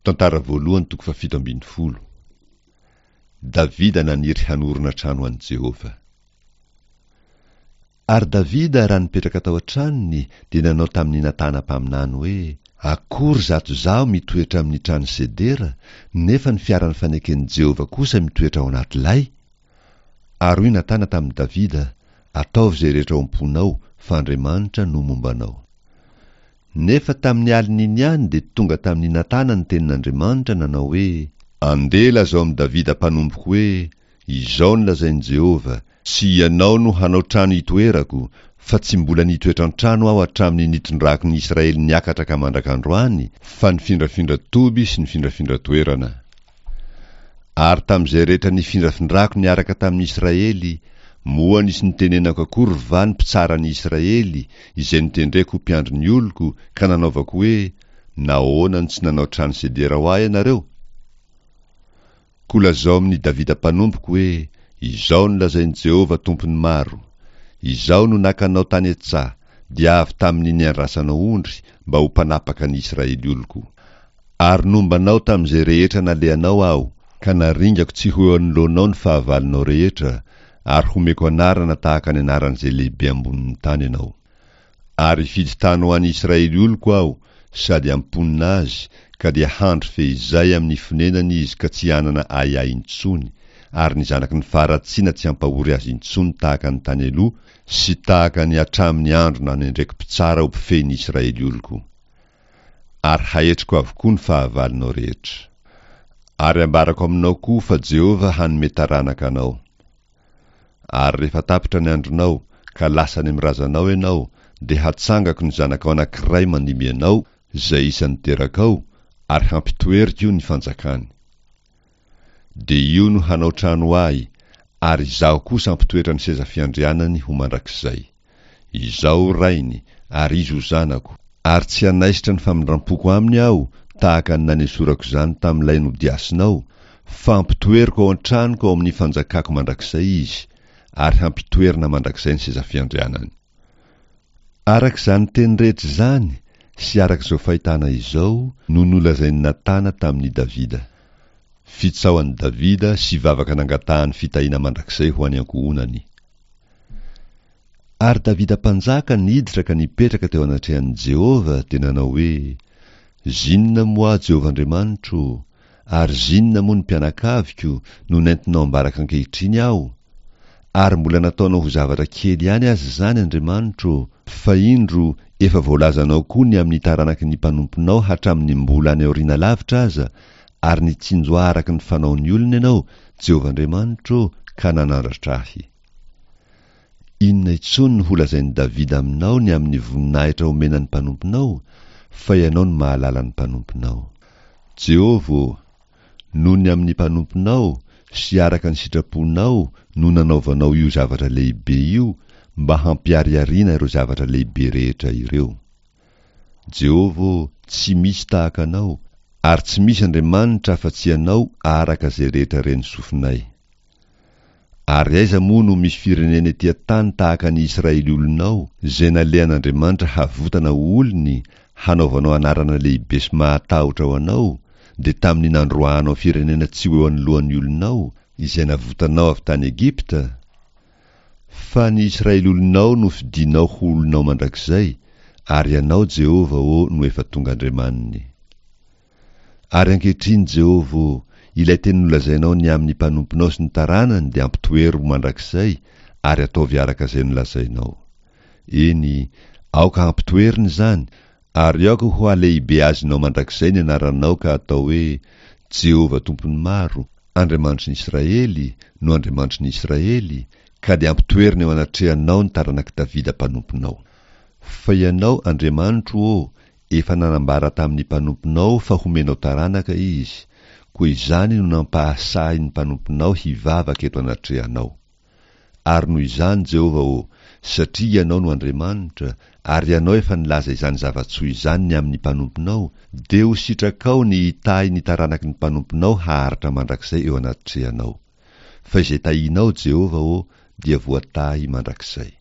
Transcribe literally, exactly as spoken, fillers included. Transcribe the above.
Tantara voalohany toko fahafito ambin'ny folo. Davida naniry hanorina trano ho an'i Jehovah. Ary Davida raha nipetraka tao an-tranony dia nanao tamin'i Natana mpaminany hoe, Akory izato izaho mitoetra amin'ny trano sedera, nefa ny fiaran'ny faneken'i Jehovah kosa mitoetra ao anaty lay? Ary hoy Natana tamin'i Davida, Ataovy izay rehetra ao am-ponao, fa Andriamanitra no momba anao. Nefa tamin'ny alin'iny ihany dia tonga tamin'i Natana ny tenin'Andriamanitra nanao hoe, Andeha lazao amin'i Davida mpanompoko hoe, Izao no lazain'i Jehovah, Tsy ianao no hanao trano hitoerako, fa tsy mbola nitoetra an-trano aho hatramin'ny nitondrako ny Israely niakatra ka mandrak'androany, fa nifindrafindra toby sy nifindrafindra toerana. Ary tamin'izay rehetra nifindrafindrako niaraka tamin'ny Israely, moa nisy nitenenako akory va ny mpitsara ny Israely, izay notendreko ho mpiandry ny oloko, ka nanaovako hoe, Nahoana no tsy nanao trano sedera ho ahy ianareo? Koa lazao amin'i Davida mpanompoko hoe, Izao no lazain'i Jehovah Tompon'ny maro, Izaho no naka anao tany an-tsaha, dia avy tamin'ny niandrasanao ondry, mba ho mpanapaka ny Israely oloko. Ary nomba anao tamin'izay rehetra nalehanao Aho, ka naringako tsy ho eo anoloanao ny fahavalonao rehetra, ary homeko anarana tahaka ny anaran'izay lehibe ambonin'ny tany ianao. Ary hifidy tany ho an'i Israely oloko Aho, sady hamponina azy, ka dia handry fehizay amin'ny fonenany izy ka tsy hanana ahiahy intsony, ary ny zanaky ny faharatsiana tsy hampahory azy intsony tahaka ny tany aloha sy tahaka ny hatramin'ny andro nanendreko mpitsara ho mpifehy ny Israely oloko. Ary haetriko avokoa ny fahavalonao rehetra. Ary ambarako aminao koa fa Jehovah hanome taranaka anao. Ary rehefa tapitra ny andronao, ka lasa any amin'ny razanao ianao, dia hatsangako ny zanakao anankiray mandimby anao, izay isan'ny terakao, ary hampitoeriko ny fanjakany. Dia io no hanao trano ho ahy, ary izaho kosa hampitoetra ny seza fiandrianany ho mandrakizay. Izaho ho rainy, ary izy ho zanako, ary tsy hanaisotra ny famindram-poko aminy aho, tahaka ny nanesorako izany tamin'ilay nodiasinao, fa hampitoeriko ao an-tranoko ao amin'ny fanjakako mandrakizay izy, ary hampitoerina mandrakizay ny seza fiandrianany. Araka izany teny rehetra izany sy araka izao fahitana izao no nolazain'i Natana tamin'i Davida. Fitsaohan'i Davida sy vavaka nangatahany fitahiana mandrakizay ho an'ny ankohonany. Ary Davida mpanjaka niditra ka nipetraka teo anatrehan'i Jehovah dia nanao hoe, Zinona moa aho Jehovah Andriamanitro, ary zinona moa ny mpianakaviko no nentinao ambaraka ankehitriny aho? Ary mbola nataonao ho zavatra kely ihany aza izany, Andriamanitro, fa indro, efa voalazanao koa ny amin'ny taranaky ny mpanomponao hatramin'ny mbola any aoriana lavitra aza, ary nitsinjo ahy araka ny fanaon'ny olona ianao, Jehovah Andriamanitro, ka nanandratra ahy. Inona intsony no holazain'i Davida aminao ny amin'ny voninahitra omena ny mpanomponao? Fa ianao no mahalala ny mpanomponao. Jehovah ô, noho ny amin'ny mpanomponao sy araka ny sitraponao no nanaovanao io zavatra lehibe io mba hampiharihariana ireo zavatra lehibe rehetra ireo. Jehovah ô, tsy misy tahaka anao, ary tsy misy Andriamanitra afa-tsy ianao araka izay rehetra ren'ny sofinay. Ary aiza moa no misy firenena ety an-tany tahaka ny Israely olonao, izay nalehan'Andriamanitra havotana ho olony, hanaovanao anarana lehibe sy mahatahotra ho anao, dia tamin'ny nandroahanao firenena tsy ho eo anoloan'ny olonao, izay navotanao avy tany Egypta? Fa ny Israely olonao no fidinao ho olonao mandrakizay, ary Ianao, Jehovah ô, no efa tonga Andriamaniny. Ary ankehitriny, Jehovah ô, ilay teny nolazainao ny amin'ny mpanomponao sy ny taranany dia ampitoero ho mandrakizay, ary ataovy araka izay nolazainao. Eny, aoka hampitoerina izany, ary aoka ho halehibeazinao mandrakizay ny anaranao ka atao hoe, Jehovah Tompon'ny maro, Andriamanitry ny Israely, no Andriamanitry ny Israely, ka dia ampitoerina eo anatrehanao ny taranak'i Davida mpanomponao. Fa Ianao, Andriamanitro ô, efa nanambara tamin'ny mpanomponao fa homenao taranaka izy, koa izany no nampahasahy ny mpanomponao hivavaka eto anatrehanao. Ary noho izany, Jehovah ô, satria Ianao no Andriamanitra, ary Ianao efa nilaza izany zava-tsoa izany ny amin'ny mpanomponao, dia ho sitrakao ny hitahy ny taranaky ny mpanomponao haharitra mandrakizay eo anatrehanao. Fa izay tahinao, Jehovah ô, dia voatahy mandrakizay.